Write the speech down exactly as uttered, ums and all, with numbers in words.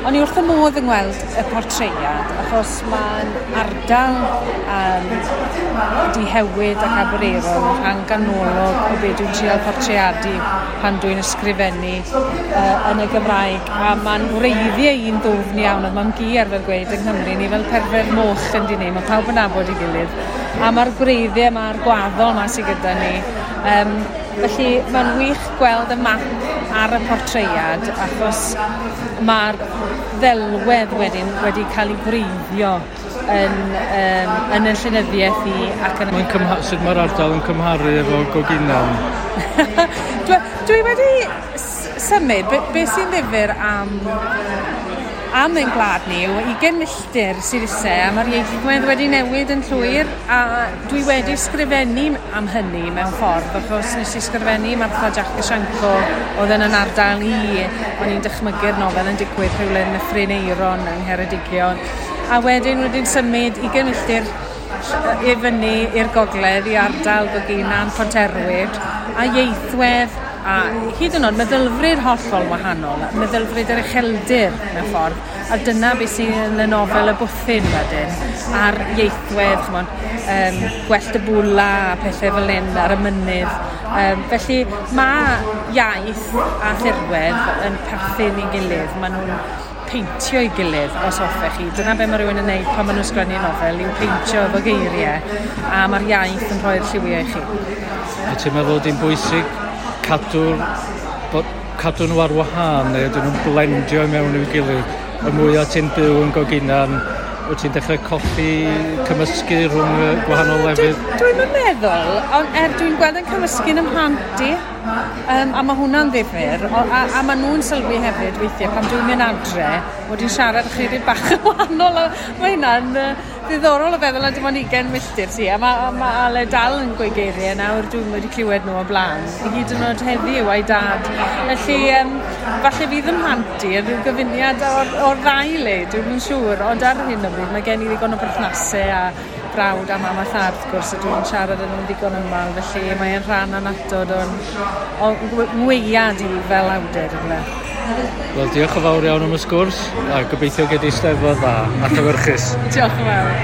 O'n i wrth y modd yn gweld y portreiad, achos mae'n ardal um, Dihewyd ac Aberaeron yn rhan ganolog o be dwi'n trial portreadu pan dwi'n ysgrifennu uh, yn y Gymraeg. A mae'n wreiddiau un ddwfn iawn, oedd mam-gu arfer gweud yng Nghymru, ni fel perfedd moch yn dyn ni, mae pawb yn nabod ei gilydd. A mae'r gwreiddiau, mae'r gwaddol 'ma sydd gyda ni. Um, felly mae'n wych gweld y map ar y portreiad, achos mae'r ddelwedd wedyn wedi cael ei gwreiddio yn, um, yn y llenyddiaeth i ac yn... Mae'n cymha- sut mae'r ardal yn cymharu efo Goginan? dwi, dwi wedi symud, be, be sy'n ddifyr am am ein gwlad ni yw ugain milltir sydd ise, a mae'r ieithwedd wedi newid yn llwyr, a dwi wedi sgrifennu am hynny mewn ffordd, achos nes i sgrifennu Martha Jac y Sianco oedd yn yn ardal i, o'n i'n dychmygu'r nofel yn digwydd rhywle yn Nyffryn Aeron yng Ngheredigion, a wedyn wedyn symud ugain milltir i fyny i'r gogledd i ardal Goginan, Ponterwyd, a ieithwedd a hyd yn oed meddylfryd hollol wahanol, meddylfryd yr ucheldir mewn ffordd, a dyna beth sydd yn y nofel Y Bwthyn wedyn, a'r ieithwedd, ch'mod, um, gwellt y bwla a pethau fel hyn ar y mynydd. Um, felly mae iaith a thirwedd yn perthyn i gilydd, maen nhw'n peintio i gilydd os hoffech chi. Dyna be mae rhywun yn neud pan maen nhw'n sgwennu nofel, yw peintio efo geiriau, a mae'r iaith yn rhoi'r lliwiau i chi. A ti'n meddwl di'n bwysig cadw'r, bod, cadw nhw ar wahân, neu ydyn nhw'n blendio mewn i'w gilydd? Y mwyaf ti'n byw yn Goginan, wyt ti'n dechrau colli cymysgu rhwng y gwahanol lefydd? Dwi'n dwi meddwl, ond er dwi'n gweld yn cymysgu yn 'mhlant i, um, a mae hwnna'n ddifyr, o, a, a maen nhw'n sylwi hefyd weithiau pan dwi'n mynd adre, mod i'n siarad ychydig bach yn wahanol, a mae hynna'n uh, ddiddorol o feddwl a dim ond ugain milltir ti, a mae ma Ale dal yn gweud geiriau nawr dwi'n wedi clywed nhw o blaen, hyd yn oed heddiw a'i dad. Felly, um, falle fydd 'y mhlant i yn rhyw gyfuniad o'r, o'r ddau le, dwi'n yn siŵr, ond ar hyn o bryd mae gen i ddigon o berthnasau a brawd a mam a thad wrth gwrs, a dwi'n siarad â nhw'n ddigon ymal, felly mae'n rhan annatod o'n, o'n ngweiad i fel awdur ynde. Wel, diolch yn fawr iawn am y sgwrs, a gobeithio gei di Steddfod dda a llewyrchus. Diolch yn fawr.